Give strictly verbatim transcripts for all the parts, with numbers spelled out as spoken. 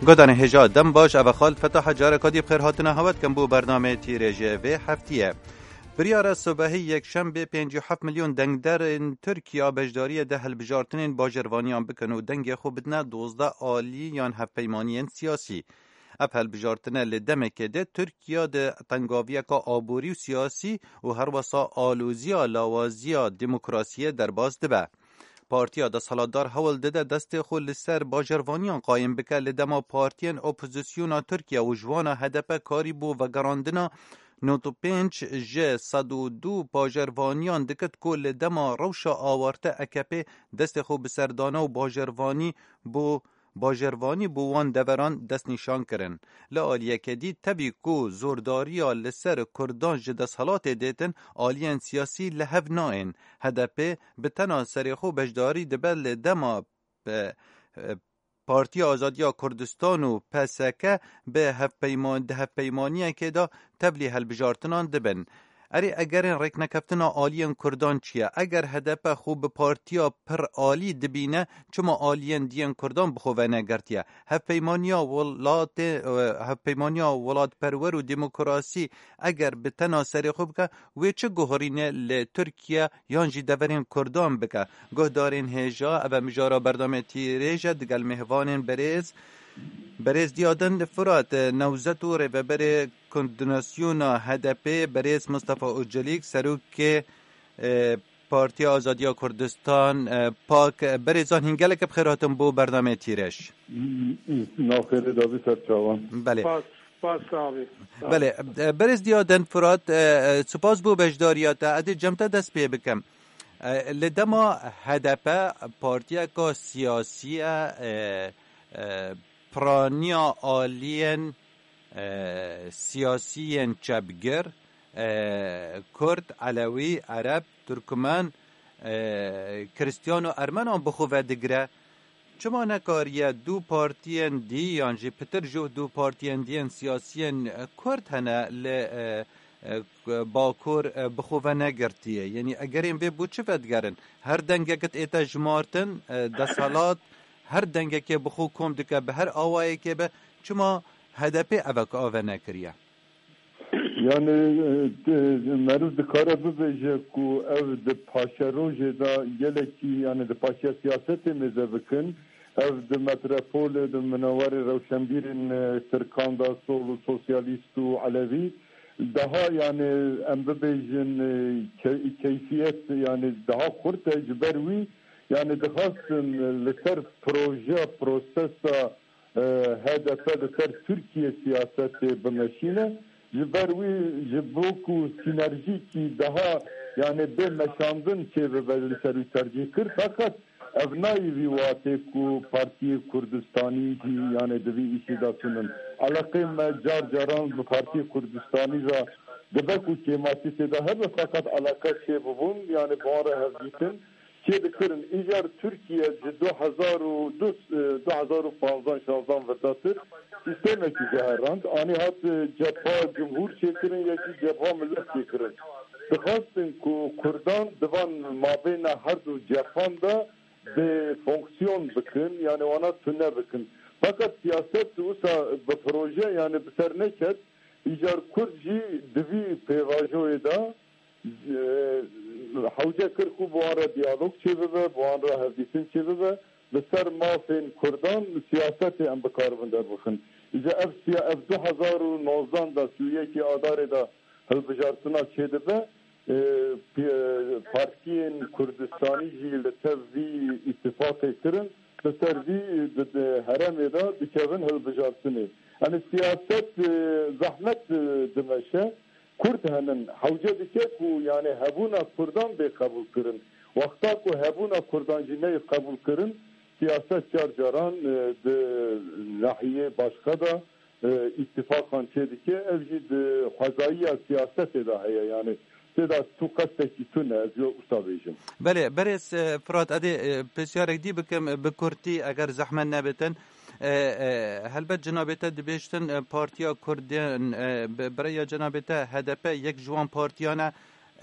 Godanê hêja, dem baş, ev e Xalid Fetah, careka dî bi xêr hatina hewe dikim bo bernameyê tîrêjê vê heftiyê. Biryara sibehî yekşembê pêncî û heft milyon dengderên Tirkiya beşdariyê di hilbijartinên bajarvaniyan bikin û dengê xwe bidine dozdeh alî yan hevpeymaniyên siyasî. Ev hilbijartine li demekê de Tirkiya di tengaviyeka aborî û siyasî û herwesa aloziya lawaziya demokrasiyê derbas dibe. Partiya desthilatdar hewl dide destê xwe li ser bajarvaniyan qayîm bike, li dema partiyên opozisyona Tirkiye û ji wana H D P karî bo vegerandina nod û pênc ji sed û du bajarvaniyan dikit ku li dema rewşa awarte A K P destê xwe bi ser dana û bajarvanî bo bajarvanî bo wan deveran destnîşan kirin. Li aliyeke dî, tevî ku zordariya li ser Kurdan ji desthilatê dêtin, aliyên siyasî li hev nayên. H D P bi tena serê xwe beşdarî dibe li dema, e, e, Partiya Azadiya Kurdistan û P S K bi hevpeyman-, di hevpeymaniyekê de tevlî hilbijartinan dibin. Erê, egerên rêknekeftina aliyên Kurdan çi ye? Eger H D P xwe bi partiya pir alî dibîne, çima aliyên diyên Kurdan bi xwe venegirtiye? Hevpeymaniya welatê, e, hevpeymaniya welatperwer û demokrasî eger bi tena serê xwe bike, wê çi guherîne li Tirkiye yan jî deverên Kurdan bike? Guhdarên hêja, ev e mijara berdamê tîrêj e digel mêvanên berêz. Berêz Diyadin Firat, e, newzet û rêveberê Koordînasyona H D P, berêz Mustafa Ocelîk, serokê, e, Partiya Azadiya Kurdistan, e, PAK. E, berêzan hîn gelek bi xêr hatin bo bernameyê tîrêj. Navxêrê davî ser çavan. Belê. Spas, spas abi. Sağ ol. Belê, e, berêz Diyadin Firat, e, e, spas bo beşdariya te. Ez ê cem te dest pê bikim. E, li dema H D P partiyeka siyasî ye, e, e, piraniya aliyên, e, siyasiyên çepgir, e, Kurd, Elewî, Ereb, Turkmen, e, Kristiyan û Ermenan bi xwe ve digire. Çima nekariye du partiyên dî yan jî pitir ji du partiyên dî yên siyasiyên, e, Kurd hene li, e, e, Bakur, e, bi xwe ve negirtiye? Yanî egerên vê bo çi vedigerin? Her dengekit ête jimartin, e, desthilat her dengekê bi xwe kom dike, bi her awayekê be. Çima H D P evek ave nekiriye? Yani, e, de, meriv dikare bibêje ku ev di paşerojê de gelekî, yani di paşeya siyasetê mêze bikin, ev di metropolê, di minewarê rewşenbîrên, e, Tirkan de, sol û sosyalîst û elewî, daha, yani, em bibêjin, e, ke-, keyfiyet, yani, daha xurt e. Ji ber wî, yani, dixwastin, e, li ser proje, prosesa, e, H D P li ser Tirkiye siyasetê bimeşîne. Ji ber wî, ji bo ku sînerjîkî daha, yani, bê meşandin çêbibe, li ser wî tercîh kir. Feqet ev nayê vî watê ku Partiyê Kurdistanî jî, yani, di vî îşî de tune. Eleqeyên me car caran bi Partiyê Kurdistanî re dibe ku kêmasî tê de hebe, feqet eleqe çêbibûn, yani, bi wan re hevdîtin çêdikirin. Îcar Tirkiye ji du hezar û du, e, du hezar û panzdeh şazdan vêdatir sîstemekî guherand. Anî hat, e, cepha cumhûr çêkirin, yekî cepha millet çêkirin. Dixwastin ku Kurdan di van mabêna her du cephan de bi fonksiyon bikin, yani wana tune bikin. Fakat siyaset wisa bi proje, yani bi ser neket. Îcar Kurd jî di vî pêvajoyê de, e, hewce kir ku bi wan re diyalog çêbibe, bi wan re hevdîtin çêbibe, li ser mafên Kurdan siyasetê em bikaribin derbixin. Îcar ev siya-, ev du hezar û nozdan de, sî û yekê Adarê de hilbijartina çêdibe, e, pi-, partiyên Kurdistanî jî li ser vî îtîfaqê kirin, li ser vî di, di herêmê de dikevin hilbijartinê. Yani siyaset, e, zehmet, e, dimeşe. Kurd henin, hewce dike ku, yani, hebûna Kurdan bê qebûlkirin. Wexta ku hebûna Kurdan jî neyê qebûlkirin, siyaset car caran, e, di nahiyê başqa de, e, îtîfaqan çêdike, ev jî di xwezayiya siyasetê de heye, yani tê de tu qestekî tune, ez yo wisa bêjim. Belê, berêz, e, Firat, ez ê, e, pisyarek dî bikim, e, bi kurtî, eger zehmet nebitin. E, e, helbet cenabê te dibêjtin, e, Partiya Kurdên, e, bi, bi rêya cenabê te H D P yek ji wan partiyan e,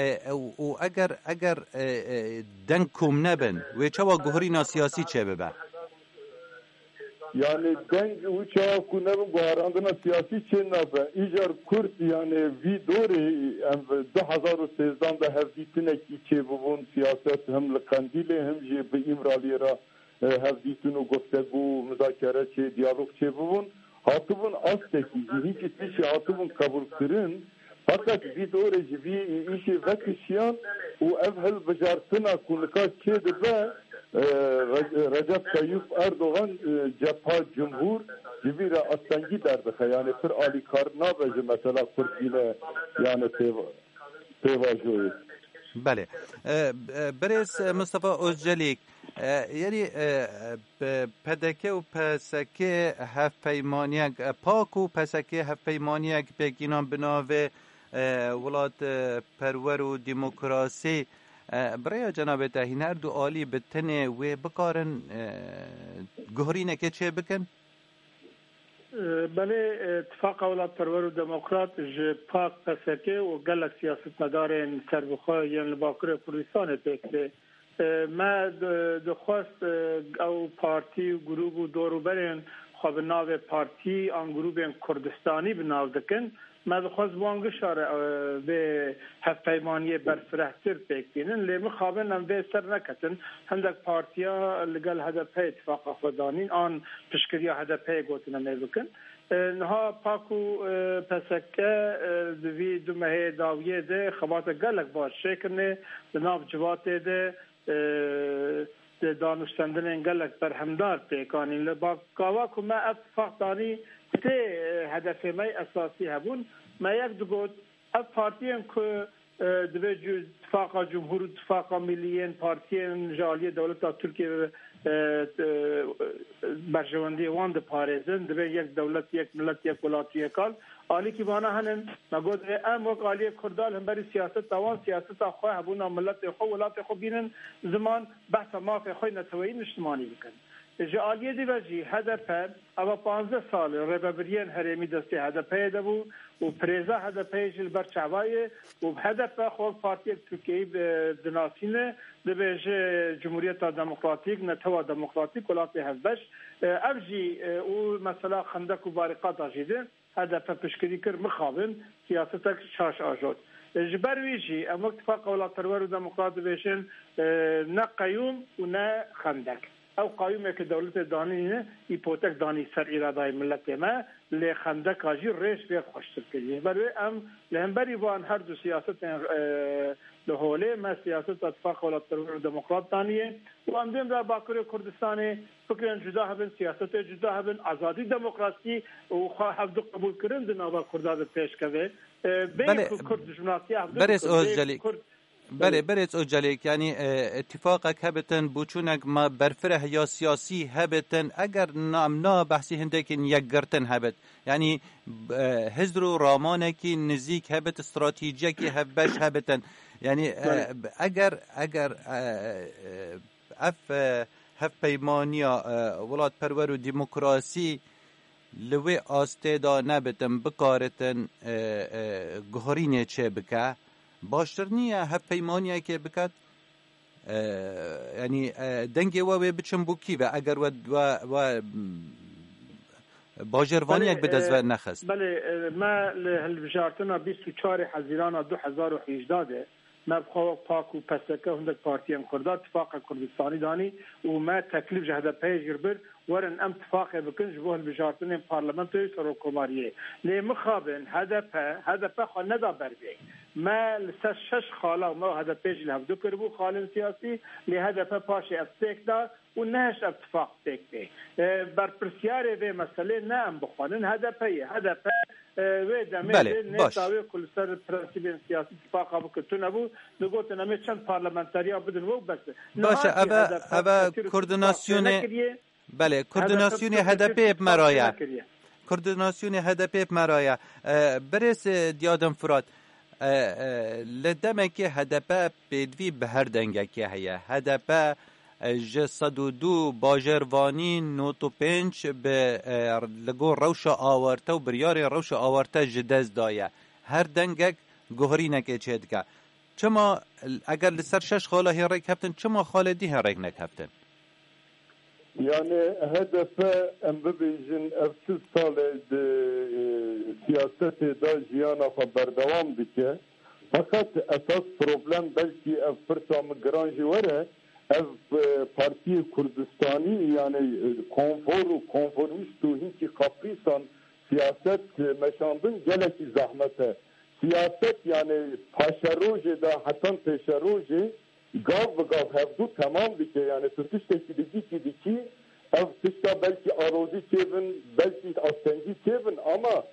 e, û, û eger, eger, e, e, deng kom nebin, wê çawa guherîna siyasî çêbibe? Yani deng û çawa ku nebin guherandina siyasî çê nabe. Îcar Kurd yani vî dorê em du hezar û sêzdan de hevdîtinekî çêbibûn. Siyaset him li Qendîlê him jî bi Îmraliyê re, e, hevdîtin û guftegu û muzakere çê, diyalog çêbibûn. Hatibûn astekî jî hînkî tiştî hatibûn qebûlkirin. Feqet vî dorê ji vî îşê vekişiyan û ev hilbijartina ku nika çêdibe, e, Re-, Recep Tayyip Erdogan, e, cepha cumhur ji vî re astengî derdixe. Yani pir alîkar nabe ji mesela Kurd bîne yani pêva-, pêvajoyê. Belê. E, e, Birêz Mustafa Ozcelîk, e, yani, e, P D K û P S K hevpeymaniyek, e, PAK û P S K hevpeymaniyek pêkînan bi navê, e, Welat, e, Perwer û Demokrasî. E, bi rêya cenabê te hîn her du alî bi tenê wê bikarin, e, guherînekê çê bikin? E, belê, e, Tifaqa Welatperwer û Demokrat ji PAK, P S K û gelek siyasetmedarên serbixwe yên li Bakurê Kurdistanê pêk tê. E, me di-, dixwest, e, ew partî û grûp û dor û berên xwe bi navê partî an grûbên Kurdistanî bi nav dikin. Me dixwest bi wan gişa re, e, vê hevpeymaniyê berfirehtir pêk bînin. Lê mixabin em vê ser neketin. Hindek partiya li gel H D P tifaqa xwe danîn, an piştgiriya H D P'yê gotin em ê bikin. E, niha PAK û, e, P S K, e, di vî du mehê dawiyê de xebata gelek baş çêkirine. Di nav civatê de, e, di danûstendinên gelek berhemdar pêk anîn. Li ba-, gava ku me ev tifaq danî, sê, e, hedefê me esasî hebûn. Me yek digot, ev partiyên ku, e, divê cu-, tifaqa cumhur û tifaqa millî yên partiyên ji aliyê dewleta Tirkiyê, e, e, berjewendiyê wan diparêzin, divê yek dewlet, yek millet, yek welat û yek al. Alîkî vana henin, me got, divê em wek aliyê Kurda li hemberî siyaseta wan, siyaseta xwe, hebûna miletê xwe, welatê xwe bînin ziman, behsa mafê xwe neteweyî niştimanî bikin. Ji aliyê dî ve jî H D P, eva panzdeh sal e rêvebiriyên herêmî destê H D P'yê de bû û pirêza H D P'yê jî li ber çavayê û H D P xwe wek partiyek Tirkiyeyî, e, dinasîne, dibêje Cumhuriyeta Demokratîk, Netewa Demokratîk, Welatê Hevbeş. E, ev jî, e, û mesela xendek û barîqata jî de H D P piştgirî kir, mixabin siyasetek şaş ajot. E, ji ber wî jî em wek Tifaqa Welatperwer û Demokrat dibêjin, e, ne qeyûm û ne xendek. Ew qayûmeke dewletê danîne, îpotek danî ser îradayê miletê me, lê xendeka jî rêş vê xweştir kiriye. Ji ber wê em li hemberî van her du siyasetên, e, li holê me siyaseta Tifaqa Welatperwer û Demokrat daniye û em dê em da Bakurê Kurdistanê fikrên cuda hebin, siyasetê cuda hebin, azadî, demokrasî û xwe hevdu qebûlkirin di nava Kurda de pêşkeve. E, bê Belê, ku Kurd dijminasiya hevdu Berêz bikin, bê Ozcelî. Kurd Belê, Berêz Ocelêk, yanî, e, îtîfaqek hebitin, boçûnek ma berfireh ya siyasî hebitin, eger na, em na behsî hindekî yekgirtin hebit, yanî, e, hizr û ramanekî nizîk hebit, stratejiyekî hevbeş hebitin. Yanî, e, Belê. eger, eger, e, e, ev, e, hevpeymaniya, e, welatperwer û demokrasî li wê astê de nebitin, bikaritin, e, e, guherînê çê bike, baştir niye hevpeymaniyekê biket? E, yanî, e, dengê we wê biçin bo kî ve? Eger we, we, we, mm, bajarvaniyek Belê, bi dest e, ve nexist. Belê, e, me li hilbijartina bîst û çarê Hezîrana du hezar û hejdeh de me bi xwe wek PAK û P S K û hindek partiyên Kurda tifaqek Kurdistanî danî û me teklîf ji H D P'yê jî bir, werin em tifaqê bikin ji bo hilbijartinên parlamentoyê û serokkomariyê. Lê mixabin H D P, H D P xwe neda ber vê. Me li ser şeş xala, me û H D P jî li hevdu kiribû xalên siyasî, lê H D P paşê ev pêk da û nehişt ev tifaq pêk bê. E, berpirsiyarê vê meselê ne em bixwanin, H D P ye. H D P, e, wê demê Belê, de baş. nêta wê ku li ser prensîbên siyasî tifaqa bike tune bû, digotin em ê çend parlamenteriya bidin we û bes. Baş e, Niha jî eve, H D P eve Tirk koordinasyonê, tifaq nekiriye. Belê, H D P koordinasyonê Tirk H D P bi me ra ye. tifaq nekiriye. Koordinasyonê H D P bi me ra ye. E, Birêz, e, Diyadin Firat, e, e, li demekê H D P pêdivî bi her dengekê heye. H D P, e, ji sed û du bajarvanî nod û pênc bi, e, li gor rewşa awarte û biryarên rewşa awarte ji dest daye. Her dengek guherînekê çêdike. Çima, eger li ser şeş xala hê rêk heftin, çima xalê dî hê rêk nekeftin? Yani H D P, em bibêjin, ev çil sal e di, e, siyasetê de jiyana xwe berdewam dike. Feqet esas problem belkî ev pirsa min giran jî were, ev, e, partiyê Kurdistanî, yani, e, konfor û konformîst û hinkî kaprîsan siyaset, e, meşandin gelekî zehmet e. Siyaset, yani, paşerojê de hetan pêşerojê gav bi gav hevdû temam dike. Yani tu tiştekî dikî kî dikî, ev tişta belkî alozî çêbin, belkî astengî çêbin, ama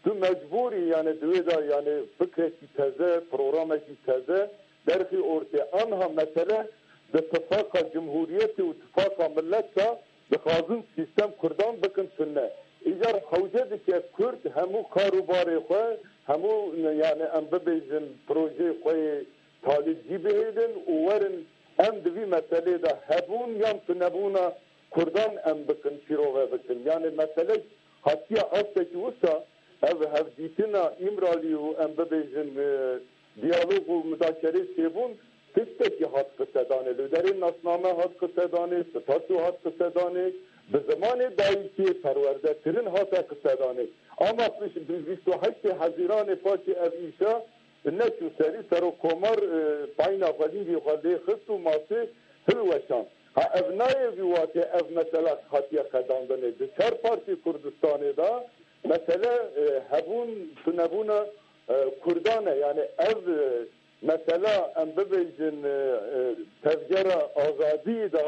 tu mecbûrî, yani di wê de, yani fikrekî teze, programekî teze derxî ortê. Anha mesele di tifaqa cumhuriyetê û tifaqa millet de dixwazin sîstem Kurdan bikin tune. Îcar hewce dike Kurd hemû kar û barê xwe, hemû, yani em bibêjin, projeyê xwe yê talîbcî bihêlin û werin em di vî meselê de hebûn yan tunebûna Kurdan em bikin, şîrove bikin. Yani mesele hatiye astekî wisa, ev hevdîtina Îmralî û em bibêjin, e, diyalog û mudakerê çêbûn, tiştekî hat qisedanê. Li derê nasname hat qisedanê, statû hat qisedanê, bi zimanê dayikê perwerdekirin hate qisedanê. Ama piş-, bi bîst û heştê Hezîranê paşê ev îşa neçû serî, serokkomar, e, payna xwedîngê xwe lê xist û masê hilweşand. Ha, ev nayê vî watê ev mesela hatiye qedandinê. Di çar partî Kurdistanê de mesele, e, hebûn, tunebûna, e, Kurdan e. Yani ev, e, mesela em bibêjin, e, e, tevgera azadiyê de,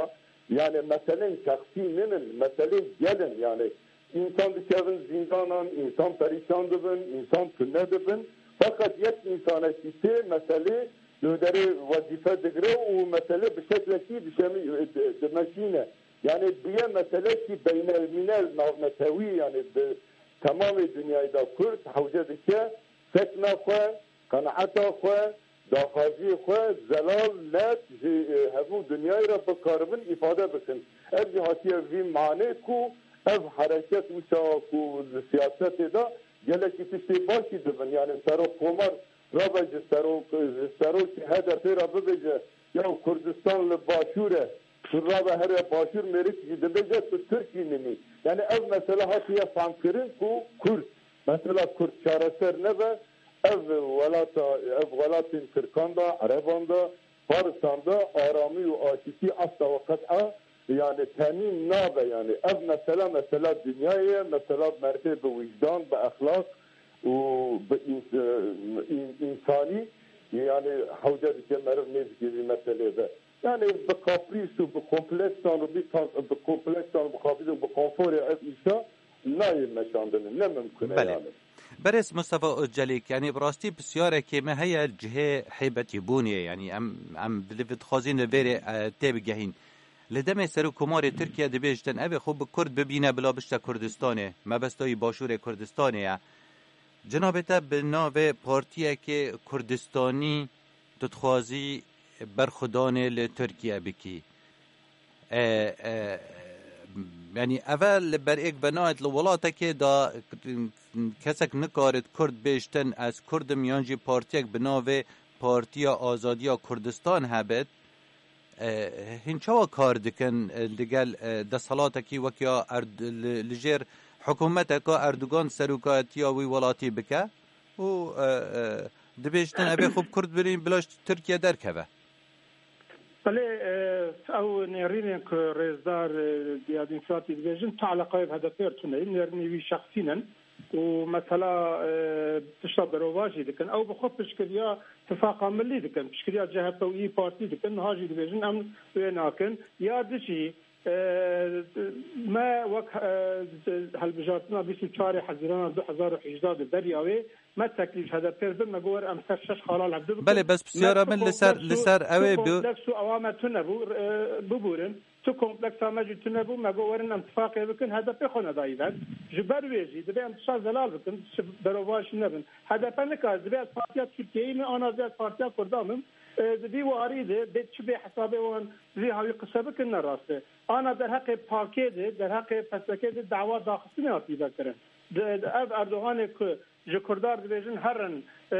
yani meselên şexsî nînin, meselên gel in. Yani însan dikevin zîndanan, însan perîşan dibin, însan tune dibin. Feqet yek însanekî tê meselê li derê wezîfe digire û mesele bi şeklekî dişemî-, di-, dimeşîne. Yani biye meselekî beynelmînel, navnetewî, yani bi temamê dinyayê de Kurd hewce dike sekna xwe, qenaeta xwe, daxwaziyê xwe zelal, net ji, e, hemû dinyayê re bikaribin îfade bikin. Ev jî hatiye vî manê ku ev hereket wisa ku li siyasetê de gelekî tiştê başî dibin. Yani serokkomar rabe ji serok-, ji serokê H D P re bibêje, ya Kurdistan li başûr e, tu rabe here başûr, mêrik jî dibêje tu Tirkî nimî. Yani ev mesele hatiye famkirin ku Kurd, mesela Kurd çareser nebe, ev welata, ev welatên Tirkan de, Ereban de, Farisan de aramî û aşîtî asta ve qet'a, yani, temîn nabe. Yani ev mesela, mesela dinyayê ye, mesela merivê bi wijdan, bi exlaq û bi îns-, în-, însanî, yani hewce dike meriv nêzikê vî meselê be. Yani bi kaprîs û bi kompleksan û bi ta-, bi kompleksan û bi kaprîs û bi konforê ev îşa nayê meşandin, ne mimkun e. Belê. Yani. Berêz Mustafa Ocelîk, yanî bi rastî pisyarekê me heye cihê hêbetîbûnê, yanî em, em bi dixwazîn li vêrê, e, têbigehîn. Li demê Serokkomarê Tirkiye dibêjtin, ev ê xwe bi Kurd bibîne bila bişte Kurdistanê, mebesta wî Başûrê Kurdistanê ye. Cenabê te bi navê partiyekê Kurdistanî tu dixwazî berxwedanê li Tirkiye bikî. E, e, yanî eve li ber êk ve nayet li welatekê de kesek nikarit Kurd bêjtin, ez Kurd im, yan jî partiyek bi navê Partiya Azadiya Kurdistan hebit. E, hîn çawa kar dikin, e, li gel, e, desthelatekî wek ya Erd-, li, li jêr hikûmeteka Erdogan serokatiya wî welatî bike û, e, e, dibêjtin, ev ê xwe bi Kurd birîn, bila ji Tirkiye derkeve? Belê, e, ew nêrînên ku rêzdar, e, Diyadîn Firatî dibêjin, tu eleqayê bi H D P re tune ye, nêrînê wî şexsî ne. Û mesela, e, tişta berovajî dikin. Ew bi xwe piştgiriya Tifaqa Millî dikin, piştgiriya C H P û İYİ Partî dikin. Niha jî dibêjin, em wê nakin. Ya dijî, e, me wek, e, hilbijartina bîst û çarê Hezîrana du hezar û hejdeh de beriya wê, me teklîf ji H D P re bir, me got, were em ser şeş xala li hevdu bikin. Belê, bes pisyara min li ser, li ser ew ê bi- kompleks û ewa me tune bû, e, bibûrin. Tu kompleksa me jî tune bû, me got, werin em tifaqê bikin, H D P xwe nedayî ber. Ji ber wê jî divê em tişta zelal bikin, ji berovajî nebin. H D P nikare, divê ez partiya Tirkiyeyî me, ana divê ez partiya Kurda bim. E, di vî warî de bê çi bê hesabê wan vî hawî qise bikin, ne rast e. Ana derheqê pakê de, derheqê P S K de dawa daxistinê hatî vekirin. Di, di ev Erdoganê ku Ji Kurdan dibêjin herin, e,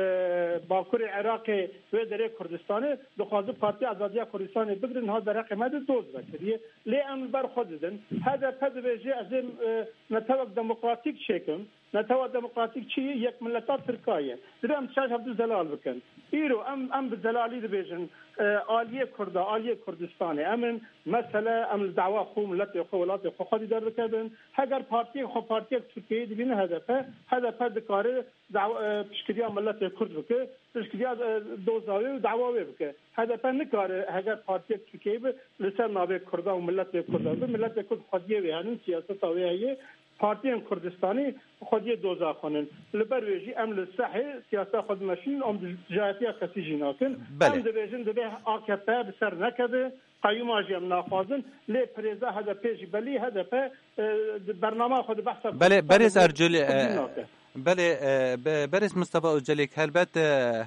Bakurê Iraqê wê derê Kurdistanê, dixwazin Partiya Azadiya Kurdistanê bigirin, niha derheqê me de doz vekiriye. Lê em li ber xwe didin. H D P dibêje ez ê, e, netewek demokratîk çêkim. Netewa demokratîk çi ye? Yek mileta Tirka ye. Dibê em şaş hevdu zelal bikin. Îro em, em bi zelalî dibêjin, e, aliyê Kurda, aliyê Kurdistanê. Em in, mesele em li dawa xwe, miletê xwe, welatê xwe xwedî derdikevin. Heger partiyek xwe partiyek Tirkiyeyê dibîne H D P, H D P dikare dawa, e, piştgiriya miletê Kurd bike, piştgiriya, e, doza wê û dawa wê bike. H D P nikare heger partiyek Tirkiyeyê be li ser navê Kurda û miletê Kurda be. Miletê Kurd xwediyê wê henin, siyaseta wê heye. Partiyên Kurdistanî xwediyê doza xwe nin. Li ber wê jî em li sehê siyaseta xwe dimeşînin, em dijayetiya kesî jî nakin. Belê. Em dibêjin divê A K P bi ser nekeve, qeyûma jî em naxwazin, lê pirêza H D P jî belî, H D P, e, di bernama xwe di behsa Belê, Kurdistanê berêz bû, Ercûlî, xwedî e, nake. Belê, e, be-, berêz Mustafa Ocelîk, helbet, e,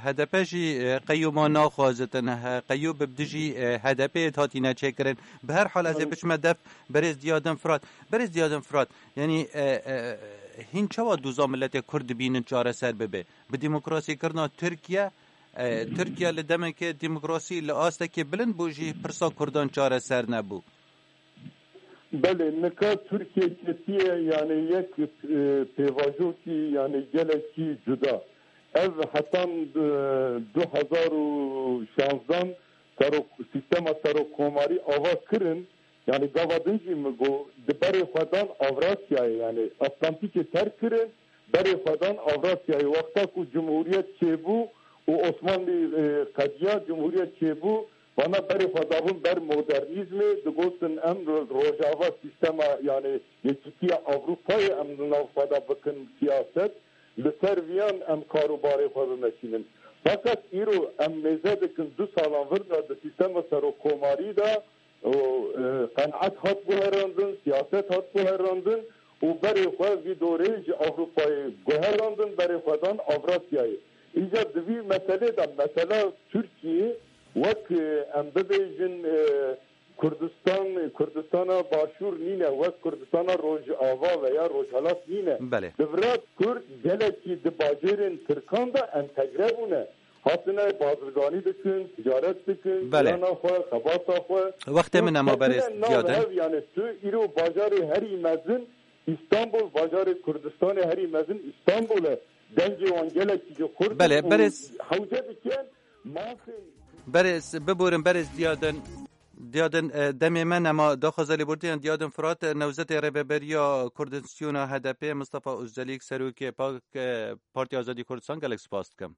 H D P jî, e, qeyûma naxwazitin, he, qeyûm bi dijî, e, H D P hatîne çêkirin. Bi her hal ez ê Belê. biçime def berêz Diyadin Firat. Berêz Diyadin Firat, yanî, e, e, hîn çawa doza miletê Kurd dibînin çareser bibe? Bi demokrasîkirina Tirkiye, e, Tirkiye li demeke demokrasî li astekê bilind bû jî pirsa Kurdan çareser nebû. Belê, nika Tirkiye ketiye, yani yek, e, pêvajokî, yani gelekî cuda. Ev hetan, e, du hezar û şanzdan serok, sîstema serokkomarî ava kirin, yani gava din jî min got, di berê xwe dan Avrasyayê, yani Atlantîkê terk kirin, berê xwe dan Avrasyayê. Wexta ku Cumhuriyet çêbû û Osmanlî, e, qediya, Cumhuriyet çêbû, vana berê xwe dabûn ber modernîzmê, digotin em ro-, Rojava sîstema, yani Yekîtiya Ewropayê em li nav xwe de bikin siyaset, li ser viyan em kar û barê xwe bimeşînin. Fakat îro em mêze dikin du salan vir de di sîstema serokkomarî de û, e, qenaet hat guherandin, siyaset hat guherandin û berê xwe vî dorê ji Ewropayê guherandin, berê xwe dan Avrasyayê. Îcar di vî meselê de, mesela Tirkiyê wek, e, em bibêjin, e, Kurdistan, Kurdistana Başûr nîne, wek Kurdistana Rojava veya Rojhelat nîne. Belê. Di vira Kurd gelekî di bajêrên Tirkan de entegre bûne. Hatine bazirganî dikin, ticaret dikin, Belê. jiyana xwe, xebata xwe. Wextê min ema berêz Diyadin. Ev, yani tu îro bajarê herî mezin Îstanbul, bajarê Kurdistanê herî mezin Îstanbul e. Dengê wan gelekî ji xurt Belê, û berêz- hewce dikin. Mafê Berêz, biborin berêz Diyadin. Diyadin, e, demê me nema daxwaza lêbortiyan Diyadin Firat, e, newzetê Rêveberiya Koordînasyona H D P, Mustafa Ozelîk, serokê pak, e, Partiya Azadî Kurdistan, gelek spas dikim.